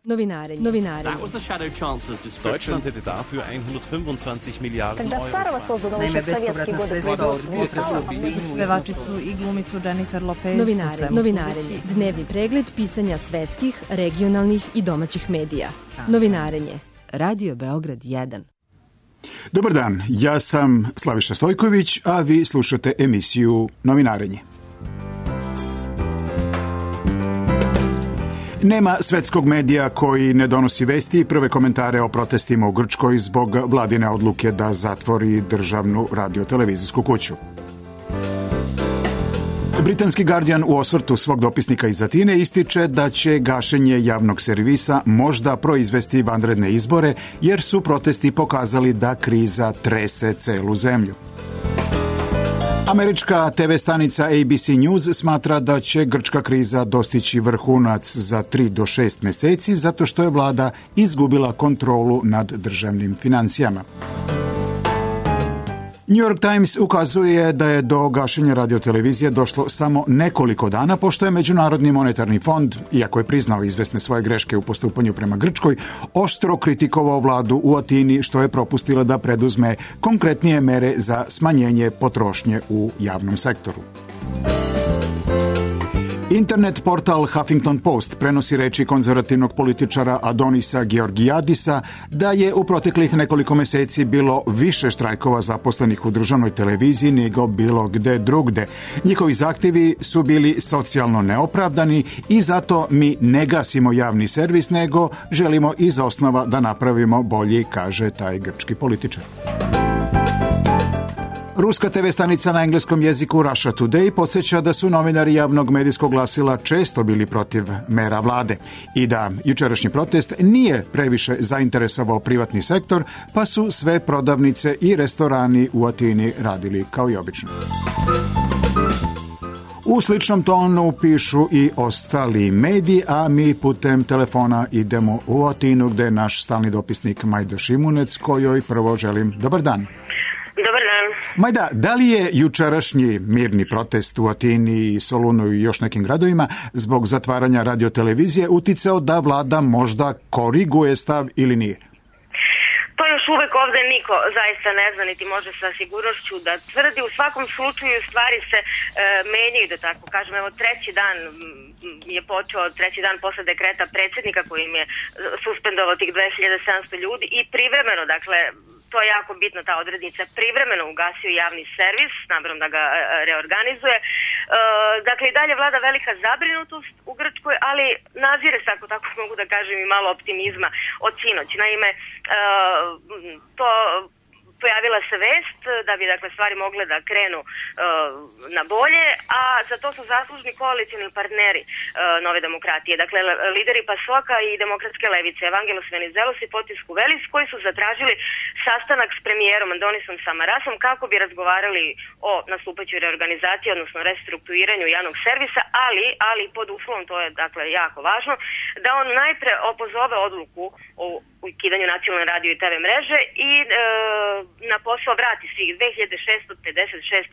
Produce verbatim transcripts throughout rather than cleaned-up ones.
Novinarenje. Novinarenje. Deutschland hätte dafür hundertfünfundzwanzig Miliarden Euro. Naime, bespovratna sredstva od pevačicu i glumicu Jennifer Lopez. Novinarenje. Novinarenje. Dnevni pregled pisanja svetskih, regionalnih i domaćih medija. Novinarenje. Radio Beograd jedan. Dobar dan, ja sam Slaviša Stojković, a vi slušate emisiju Novinarenje. Nema svetskog medija koji ne donosi vesti i prve komentare o protestima u Grčkoj zbog vladine odluke da zatvori državnu radiotelevizijsku kuću. Britanski Guardian u osvrtu svog dopisnika iz Atine ističe da će gašenje javnog servisa možda proizvesti vanredne izbore, jer su protesti pokazali da kriza trese celu zemlju. Američka te ve stanica A B C News smatra da će grčka kriza dostići vrhunac za tri do šest meseci zato što je vlada izgubila kontrolu nad državnim financijama. New York Times ukazuje da je do gašenja radiotelevizije došlo samo nekoliko dana, pošto je Međunarodni monetarni fond, iako je priznao izvesne svoje greške u postupanju prema Grčkoj, oštro kritikovao vladu u Atini što je propustila da preduzme konkretnije mere za smanjenje potrošnje u javnom sektoru. Internet portal Huffington Post prenosi reči konzervativnog političara Adonisa Georgijadisa da je u proteklih nekoliko meseci bilo više štrajkova zaposlenih u državnoj televiziji nego bilo gde drugde. Njihovi zahtjevi su bili socijalno neopravdani i zato mi ne gasimo javni servis, nego želimo iz osnova da napravimo bolji, kaže taj grčki političar. Ruska te ve stanica na engleskom jeziku Russia Today podsjeća da su novinari javnog medijskog glasila često bili protiv mera vlade i da jučerašnji protest nije previše zainteresovao privatni sektor, pa su sve prodavnice i restorani u Atini radili kao i obično. U sličnom tonu pišu i ostali mediji, a mi putem telefona idemo u Atinu gde je naš stalni dopisnik Majda Šimunec, kojoj prvo želim dobar dan. Dobar dan. Majda, da li je jučerašnji mirni protest u Atini i Solunu i još nekim gradovima zbog zatvaranja radiotelevizije uticao da vlada možda koriguje stav ili nije? To još uvek ovde niko zaista ne zna, niti može sa sigurnošću da tvrdi. U svakom slučaju stvari se e, menjaju, da tako kažem. Evo, treći dan je počeo, treći dan posle dekreta predsjednika kojim je suspendovao tih dve hiljade sedamsto ljudi i privremeno, dakle, to je jako bitno, ta odrednica, privremeno ugasio javni servis, s namerom da ga e, reorganizuje. E, dakle, i dalje vlada velika zabrinutost u Grčkoj, ali nazire se, ako tako mogu da kažem, i malo optimizma od sinoć. Naime, e, to pojavila se vest da bi, dakle, stvari mogle da krenu uh, na bolje, a za to su zaslužni koalicijni partneri uh, Nove demokratije. Dakle, lideri Pasoka i demokratske levice, Evangelos Venizelos i Fotis Kuvelis, koji su zatražili sastanak s premijerom Andonisom Samarasom kako bi razgovarali o nastupajućoj reorganizaciji, odnosno restrukturiranju javnog servisa, ali, ali pod uslovom, to je, dakle, jako važno, da on najpre opozove odluku o ukidanju nacionalne radio i te ve mreže i e, na posao vrati svih dve hiljade šesto pedeset šest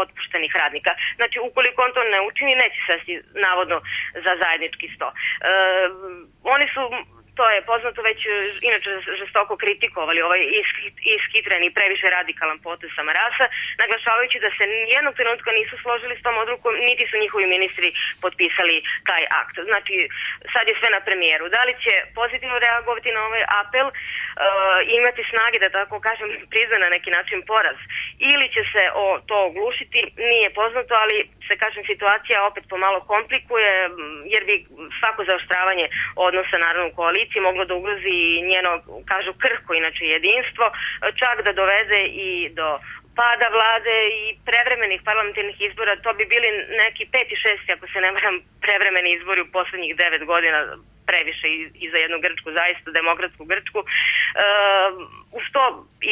otpuštenih radnika. Znači, ukoliko on to ne učini, neće sesti navodno za zajednički sto. E, oni su, to je poznato, već inače žestoko kritikovali ovaj ishitreni i previše radikalan potez Samarasa, naglašavajući da se nijednog trenutka nisu složili s tom odlukom, niti su njihovi ministri potpisali taj akt. Znači, sad je sve na premijeru. Da li će pozitivno reagovati na ovaj apel, uh, imati snage, da tako kažem, prizna na neki način poraz, ili će se o to oglušiti, nije poznato, ali se, kažem, situacija opet pomalo komplikuje, jer bi svako zaoštravanje odnosa, naravno, u koaliciji moglo da ugrozi njeno, kažu, krhko, inače, jedinstvo, čak da dovede i do pada vlade i prevremenih parlamentarnih izbora. To bi bili neki peti, šesti, ako se ne varam, prevremeni izbori u poslednjih devet godina, previše i, i za jednu Grčku, zaista demokratsku Grčku. E, uz to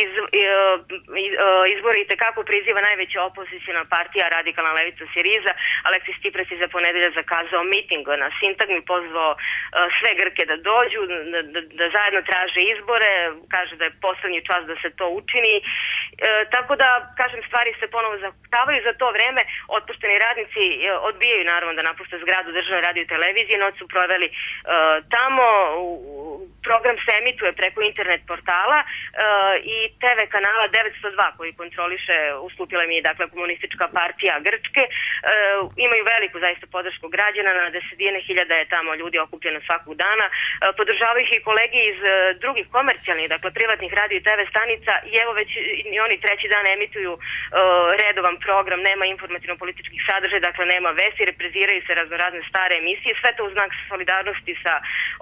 iz, iz, izbori i tekako priziva najveća opozicijna partija, radikalna levica Siriza. Aleksis Tsipras je za ponedelja zakazao miting na Sintagmi, pozvao sve Grke da dođu, da, da, da zajedno traže izbore, kaže da je poslednji čas da se to učini. E, tako da, kažem, stvari se ponovo zahtavaju. Za to vreme otpušteni radnici odbijaju, naravno, da napuste zgradu državne radio i televizije. Noć su proveli uh, Tamo program se emituje preko internet portala i te ve kanala devetsto dva koji kontroliše, ustupila mi je dakle komunistička partija Grčke, imaju veliku zaista podršku građana, na desetine hiljada je tamo ljudi okupljeno svakog dana, podržavaju ih i kolegi iz drugih komercijalnih, dakle privatnih radio i te ve stanica i evo već i oni treći dan emituju redovan program, nema informativno-političkih sadržaja, dakle nema vesti, repriziraju se raznorazne stare emisije, sve to u znak solidarnosti sa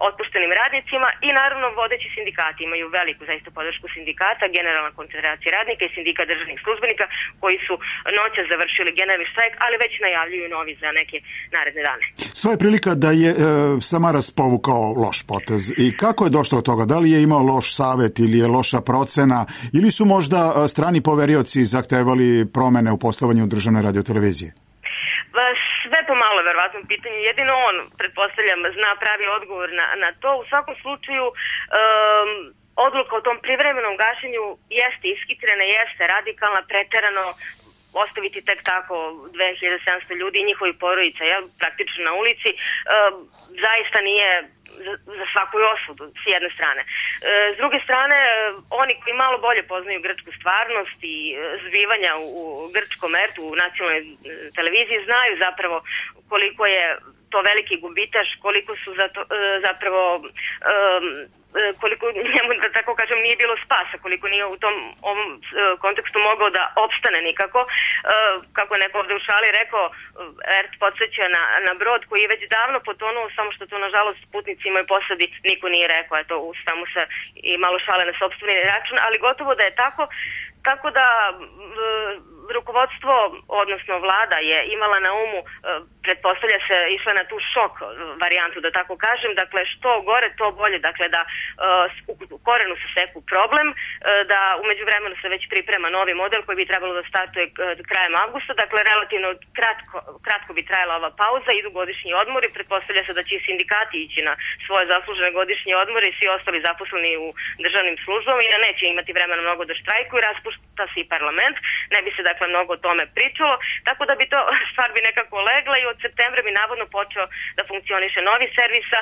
otpuštenim radnicima i naravno vodeći sindikati imaju veliku zaista podršku sindikata, Generalna konfederacija radnika i sindikat državnih službenika koji su noćas završili generalni štrajk, ali već najavljuju novi za neke naredne dane. Sva je prilika da je e, Samaras povukao loš potez. I kako je došlo od toga? Da li je imao loš savet ili je loša procena ili su možda strani poverioci zahtevali promene u poslovanju državne radiotelevizije? Sve pomalo verovatno pitanje, jedino on, pretpostavljam, zna pravi odgovor na, na to. U svakom slučaju um, odluka o tom privremenom gašenju jeste ishitrena, jeste radikalna, preterano ostaviti tek tako dve hiljade sedamsto ljudi i njihovi porodica, jel, praktično na ulici, um, zaista nije za, za svaku osudu, s jedne strane. E, s druge strane, oni koji malo bolje poznaju grčku stvarnost i zbivanja u, u grčkom ertu, u nacionalnoj televiziji, znaju zapravo koliko je to veliki gubitaš, koliko su zato, zapravo um, koliko njemu, da tako kažem, nije bilo spasa, koliko nije u tom ovom kontekstu mogao da opstane nikako. Kako neko ovde u šali rekao, Ert podsjeća na, na brod koji je već davno potonuo, samo što to nažalost putnicima i posadi niko nije rekao, eto, samo se i malo šale na sopstveni račun, ali gotovo da je tako, tako da rukovodstvo, odnosno vlada je imala na umu, pretpostavlja se, išla na tu šok varijantu, da tako kažem, dakle što gore to bolje, dakle da u korenu se seku problem, da umeđu vremenu se već priprema novi model koji bi trebalo da startuje krajem avgusta, dakle relativno kratko, kratko bi trajala ova pauza, idu godišnji odmori, pretpostavlja se da će i sindikati ići na svoje zaslužene godišnje odmore i svi ostali zaposleni u državnim službama i da neće imati vremena mnogo da štrajkuju, raspušta se i parlament, ne bi se dakle mnogo o tome pričalo, tako da bi to stvar bi nekako legla i od septembra bi navodno počeo da funkcioniše novi servisa,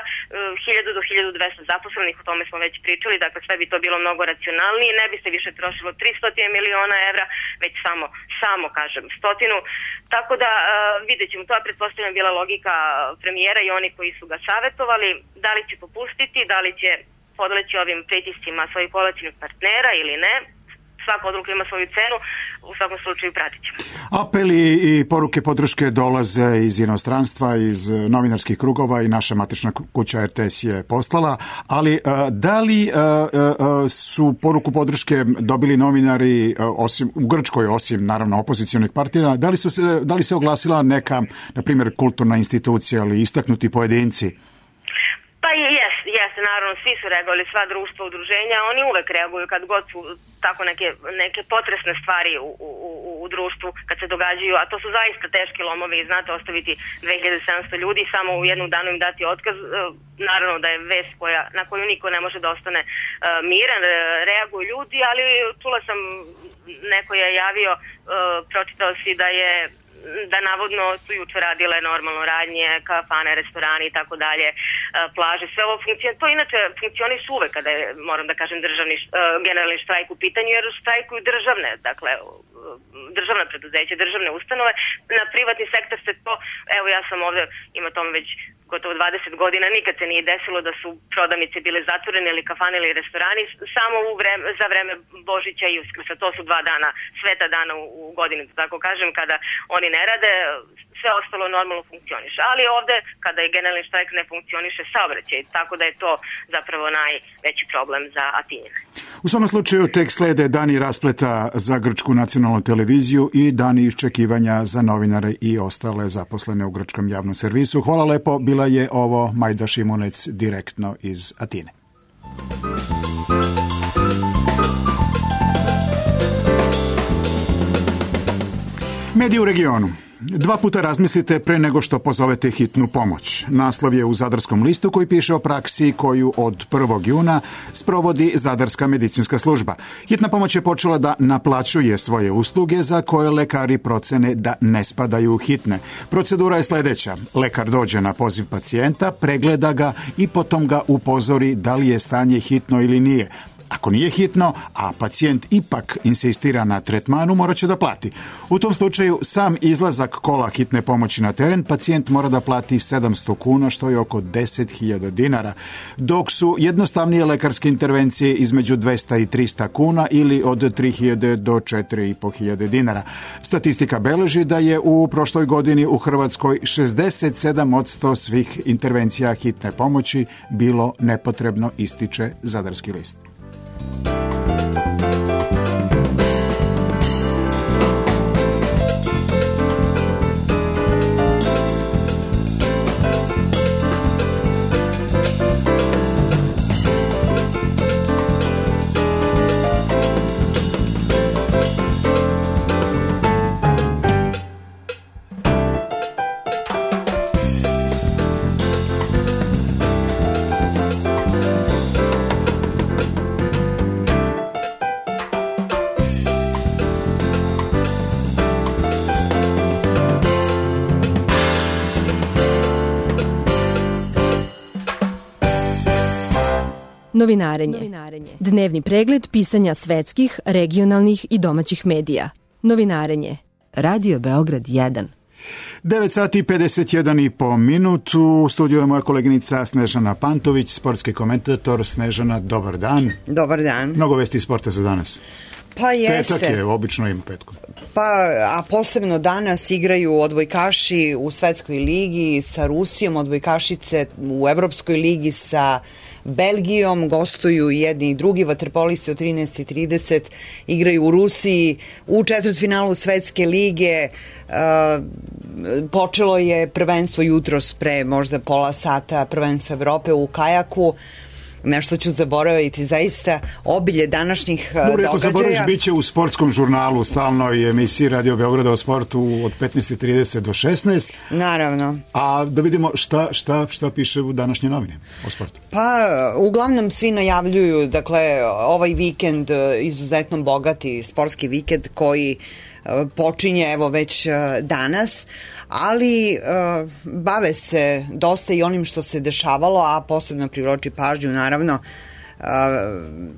hiljadu do hiljadu dvesta zaposlenih, o tome smo već pričali, dakle sve bi to bilo mnogo racionalnije, ne bi se više trošilo tristo miliona evra, već samo, samo kažem, stotinu, tako da vidjet ćemo, to je pretpostavljam bila logika premijera i oni koji su ga savjetovali, da li će popustiti, da li će podleći ovim pritiscima svojih koalicijnih partnera ili ne. Svaka odluka ima svoju cenu, u svakom slučaju pratit ćemo. Apeli i poruke podrške dolaze iz inostranstva, iz novinarskih krugova i naša matična kuća er te es je poslala, ali da li su poruku podrške dobili novinari osim, u Grčkoj, osim naravno opozicionih partija, da li, su se, da li se oglasila neka, na primjer, kulturna institucija ili istaknuti pojedinci? Pa jeste, jeste, naravno, svi su reagovali, sva društva, udruženja, oni uvek reaguju kad god su tako neke, neke potresne stvari u, u, u društvu, kad se događaju, a to su zaista teški lomovi i znate, ostaviti dve hiljade sedamsto ljudi, samo u jednu danu im dati otkaz, naravno da je vest koja, na koju niko ne može da ostane uh, miran, reaguju ljudi, ali čula sam, neko je javio, uh, pročitao si da je da navodno su juče radile normalno radnje, kafane, restorani i tako dalje, plaže, sve ovo funkcionira. To inače funkcioniše uvek kada je, moram da kažem, državni, generalni štrajk u pitanju, jer štrajkuju državne, dakle, državna preduzeća, državne ustanove. Na privatni sektor se to, evo ja sam ovde, ima tome već gotovo dvadeset godina, nikad se nije desilo da su prodavnice bile zatvorene ili kafane ili restorani, samo u vreme, za vreme Božića i Uskrsa. To su dva dana, sveta dana u, u godini, tako kažem, kada oni ne rade, sve ostalo normalno funkcioniše. Ali ovde, kada je generalni štrajk, ne funkcioniše saobraćaj, tako da je to zapravo najveći problem za Atinjane. U svom slučaju tek slede dani raspleta za Grčku nacionalnu televiziju i dani iščekivanja za novinare i ostale zaposlene u grčkom javnom servisu. Hvala lepo, bila je ovo Majda Šimunec direktno iz Atine. Mediji u regionu. Dva puta razmislite pre nego što pozovete hitnu pomoć. Naslov je u Zadarskom listu koji piše o praksi koju od prvog juna sprovodi Zadarska medicinska služba. Hitna pomoć je počela da naplaćuje svoje usluge za koje lekari procene da ne spadaju u hitne. Procedura je sledeća. Lekar dođe na poziv pacijenta, pregleda ga i potom ga upozori da li je stanje hitno ili nije. Ako nije hitno, a pacijent ipak insistira na tretmanu, morat će da plati. U tom slučaju sam izlazak kola hitne pomoći na teren pacijent mora da plati sedamsto kuna, što je oko deset hiljada dinara, dok su jednostavnije lekarske intervencije između dvesta i trista kuna ili od tri hiljade do četiri i po hiljade dinara. Statistika beleži da je u prošloj godini u Hrvatskoj šezdeset sedam posto svih intervencija hitne pomoći bilo nepotrebno, ističe Zadarski list. Novinarenje. Dnevni pregled pisanja svetskih, regionalnih i domaćih medija. Novinarenje. Radio Beograd jedan. devet sati i pedeset jedan i po minutu. U studiju je moja koleginica Snežana Pantović, sportski komentator. Snežana, dobar dan. Dobar dan. Mnogo vesti sporta za danas. Pa jeste. Petak je, obično ima petkom. Pa, a posebno danas igraju odbojkaši u Svetskoj ligi sa Rusijom, odbojkašice u Evropskoj ligi sa Belgijom, gostuju jedni i drugi, vaterpolisti od trinaest i trideset igraju u Rusiji, u četvrtfinalu Svetske lige. Uh, počelo je prvenstvo jutros pre možda pola sata, prvenstvo Evrope u kajaku. Nešto ću zaboraviti, zaista obilje današnjih Dobre, događaja. Ako zaboraviš, bit će u sportskom žurnalu, stalnoj emisiji Radio Beograda o sportu od petnaest i trideset do šesnaest. Naravno. A da vidimo šta, šta, šta piše u današnje novine o sportu. Pa, uglavnom svi najavljuju, dakle, ovaj vikend izuzetno bogati sportski vikend koji počinje evo već danas, ali uh, bave se dosta i onim što se dešavalo, a posebno privlači pažnju naravno uh,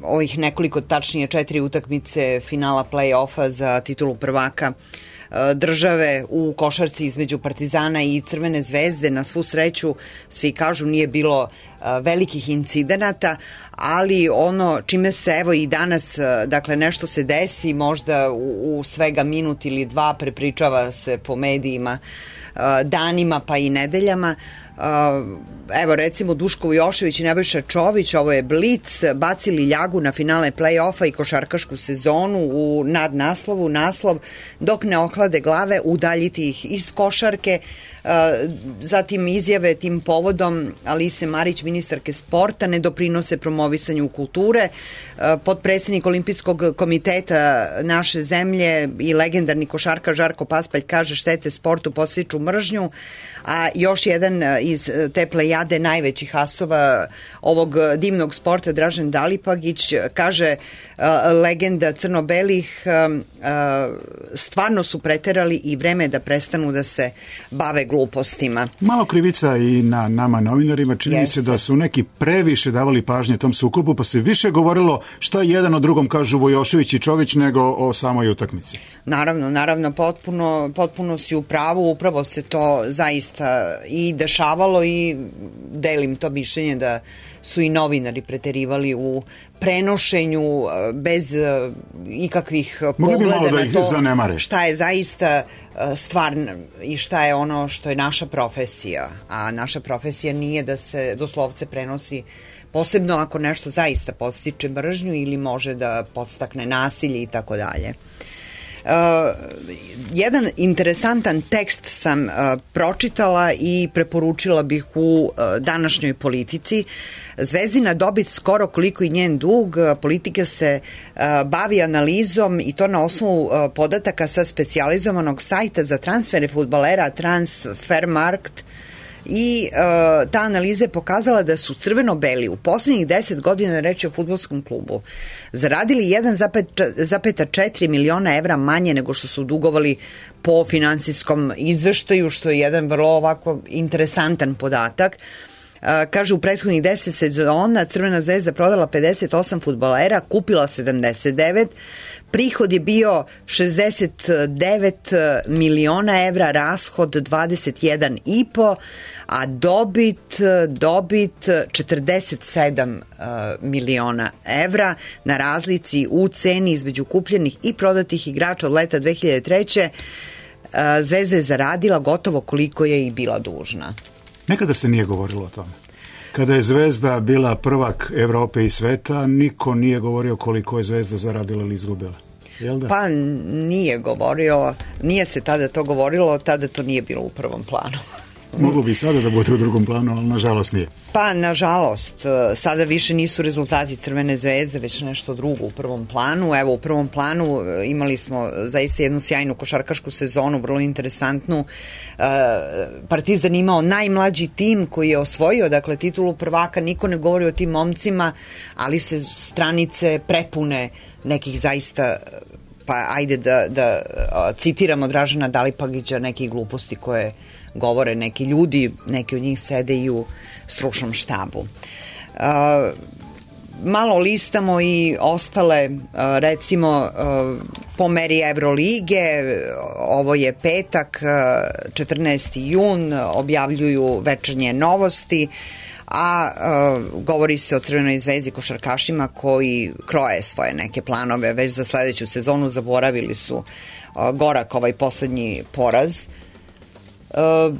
ovih nekoliko, tačnije četiri utakmice finala play-offa za titulu prvaka uh, države u košarci između Partizana i Crvene zvezde. Na svu sreću, svi kažu, nije bilo uh, velikih incidenata, ali ono čime se evo i danas, dakle nešto se desi, možda u, u svega minut ili dva, prepričava se po medijima danima pa i nedeljama. Evo recimo Duško Vujošević i Nebojša Čović, ovo je Blic, bacili ljagu na finale play-offa i košarkašku sezonu u nadnaslovu, naslov dok ne ohlade glave, udaljiti ih iz košarke. Zatim izjave tim povodom Alise Marić, ministarke sporta, ne doprinose promovisanju kulture. Potpredsednik Olimpijskog komiteta naše zemlje i legendarni košarkaš Žarko Paspalj kaže štete sportu podstiču mržnju, a još jedan iz te plejade najvećih astova ovog divnog sporta, Dražen Dalipagić, kaže legenda crno-belih, stvarno su preterali i vreme je da prestanu da se bave glupostima. Malo krivica i na nama novinarima, čini mi se da su neki previše davali pažnje tom sukobu, pa se više govorilo šta jedan o drugom kažu Vujošević i Čović nego o samoj utakmici. Naravno, naravno, potpuno, potpuno si u pravu, upravo se to zaista i dešavalo i delim to mišljenje da su i novinari preterivali u prenošenju bez ikakvih pogleda na to šta je zaista stvar i šta je ono što je naša profesija. A naša profesija nije da se doslovce prenosi, posebno ako nešto zaista podstiče mržnju ili može da podstakne nasilje i tako dalje. Uh, jedan interesantan tekst sam uh, pročitala i preporučila bih u uh, današnjoj politici. Zvezdina dobit skoro koliko i njen dug. Politika se uh, bavi analizom i to na osnovu uh, podataka sa specijalizovanog sajta za transfere fudbalera Transfermarkt. I uh, ta analiza je pokazala da su crveno-beli u poslednjih deset godina, reći o fudbalskom klubu, zaradili jedan zarez četiri miliona evra manje nego što su dugovali po finansijskom izveštaju, što je jedan vrlo ovako interesantan podatak. Uh, kaže, u prethodnih deset sezona Crvena zvezda prodala pedeset osam fudbalera, kupila sedamdeset devet, prihod je bio šezdeset devet miliona evra, rashod dvadeset jedan i po, a dobit, dobit četrdeset sedam uh, miliona evra, na razlici u ceni između kupljenih i prodatih igrača od leta dve hiljade treće. Uh, Zvezda je zaradila gotovo koliko je i bila dužna. Nekada se nije govorilo o tome. Kada je Zvezda bila prvak Evrope i sveta, niko nije govorio koliko je Zvezda zaradila ili izgubila. Jel da? Pa nije govorio, nije se tada to govorilo, tada to nije bilo u prvom planu. Moglo bi sada da bude u drugom planu, ali nažalost nije. Pa nažalost, sada više nisu rezultati Crvene zvezde, već nešto drugo u prvom planu. Evo, u prvom planu imali smo zaista jednu sjajnu košarkašku sezonu, vrlo interesantnu. Partizan imao najmlađi tim koji je osvojio, dakle, titulu prvaka, niko ne govori o tim momcima, ali se stranice prepune nekih zaista, pa ajde da, da citiramo Dražena Dalipagića, nekih gluposti koje govore neki ljudi, neki od njih sede i u stručnom štabu. Uh, malo listamo i ostale, uh, recimo, uh, po meri Evrolige, ovo je petak, uh, četrnaesti jun, objavljuju Večernje novosti, a uh, govori se o Crvenoj zvezdi, košarkašima koji kroje svoje neke planove već za sledeću sezonu, zaboravili su uh, gorak ovaj poslednji poraz. Uh,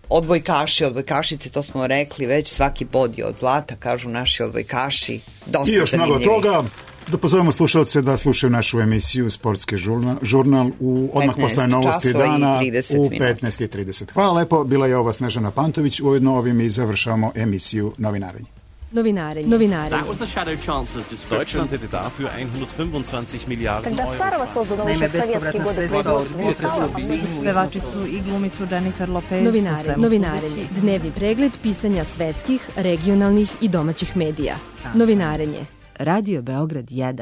odbojkaši, odbojkašice, to smo rekli već, svaki bod je od zlata, kažu naši odbojkaši. Dosta i još mnogo toga. Da pozovemo slušalce da slušaju našu emisiju Sportski žurnal, žurnal u odmah posle novosti dana u petnaest i trideset. Hvala lepo, bila je ova Snežana Pantović, ujedno ovim i završavamo emisiju Novinarenje. Novinarenje. Novinarenje. That was the Shadow Chancellor's description. Deutschland hätte dafür hundertfünfundzwanzig Milliarden Euro. Naime, bespovratna sredstva od pevačicu i glumicu Jennifer Lopez. Novinarenje. Novinarenje. Dnevni pregled pisanja svetskih, regionalnih i domaćih medija. Novinarenje. Radio Beograd jedan.